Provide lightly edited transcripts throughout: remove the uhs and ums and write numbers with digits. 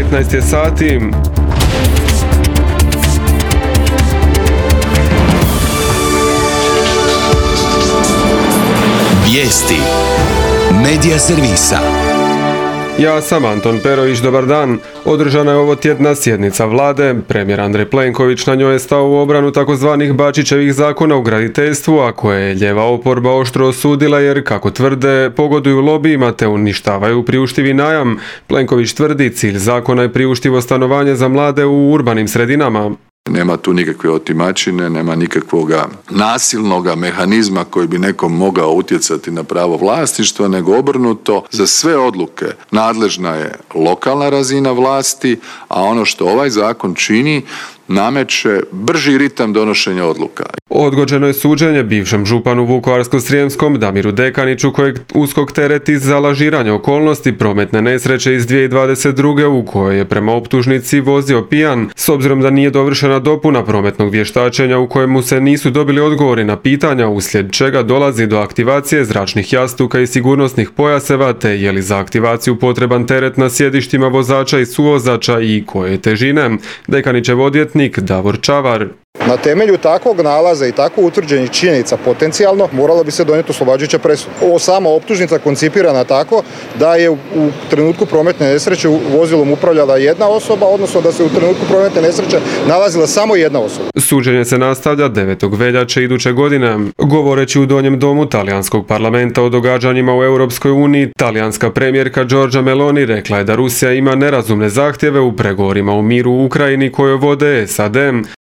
15 je sati. Vijesti Medija servisa. Ja sam Anton Perović, dobar dan. Održana je ovotjedna sjednica vlade. Premijer Andrej Plenković na njoj je stao u obranu takozvanih Bačićevih zakona u graditeljstvu, a koje je lijeva oporba oštro osudila jer, kako tvrde, pogoduju lobijima te uništavaju priuštivi najam. Plenković tvrdi, cilj zakona je priuštivo stanovanje za mlade u urbanim sredinama. Nema tu nikakve otimačine, nema nikakvog nasilnog mehanizma koji bi nekom mogao utjecati na pravo vlasništva, nego obrnuto, za sve odluke nadležna je lokalna razina vlasti, a ono što ovaj zakon čini, nameće brži ritam donošenja odluka. Odgođeno je suđenje bivšem županu Vukovarsko-srijemskom Damiru Dekaniću, kojeg USKOK tereti za lažiranje okolnosti prometne nesreće iz 2022. u kojoj je prema optužnici vozio pijan, s obzirom da nije dovršena dopuna prometnog vještačenja u kojemu se nisu dobili odgovori na pitanja, uslijed čega dolazi do aktivacije zračnih jastuka i sigurnosnih pojaseva, te je li za aktivaciju potreban teret na sjedištima vozača i suvozača i koje težine. Dekanićev odvjetnik Davor Čavar. Na temelju takvog nalaza i tako utvrđenih činjenica potencijalno morala bi se donijeti oslobađajuća presuda. Ovo sama optužnica koncipirana tako da je u trenutku prometne nesreće vozilom upravljala jedna osoba, odnosno da se u trenutku prometne nesreće nalazila samo jedna osoba. Suđenje se nastavlja 9. veljače iduće godine. Govoreći u Donjem domu talijanskog parlamenta o događanjima u Europskoj uniji, talijanska premijerka Giorgia Meloni rekla je da Rusija ima nerazumne zahtjeve u pregovorima o miru u Ukrajini koje vode SAD.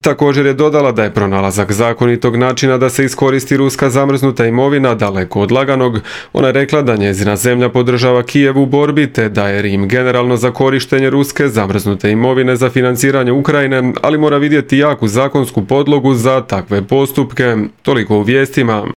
Također je dodala da je pronalazak zakonitog načina da se iskoristi ruska zamrznuta imovina daleko od laganog. Ona je rekla da njezina zemlja podržava Kijev u borbi te da je Rim generalno za korištenje ruske zamrznute imovine za financiranje Ukrajine, ali mora vidjeti jaku zakonsku podlogu za takve postupke. Toliko u vijestima.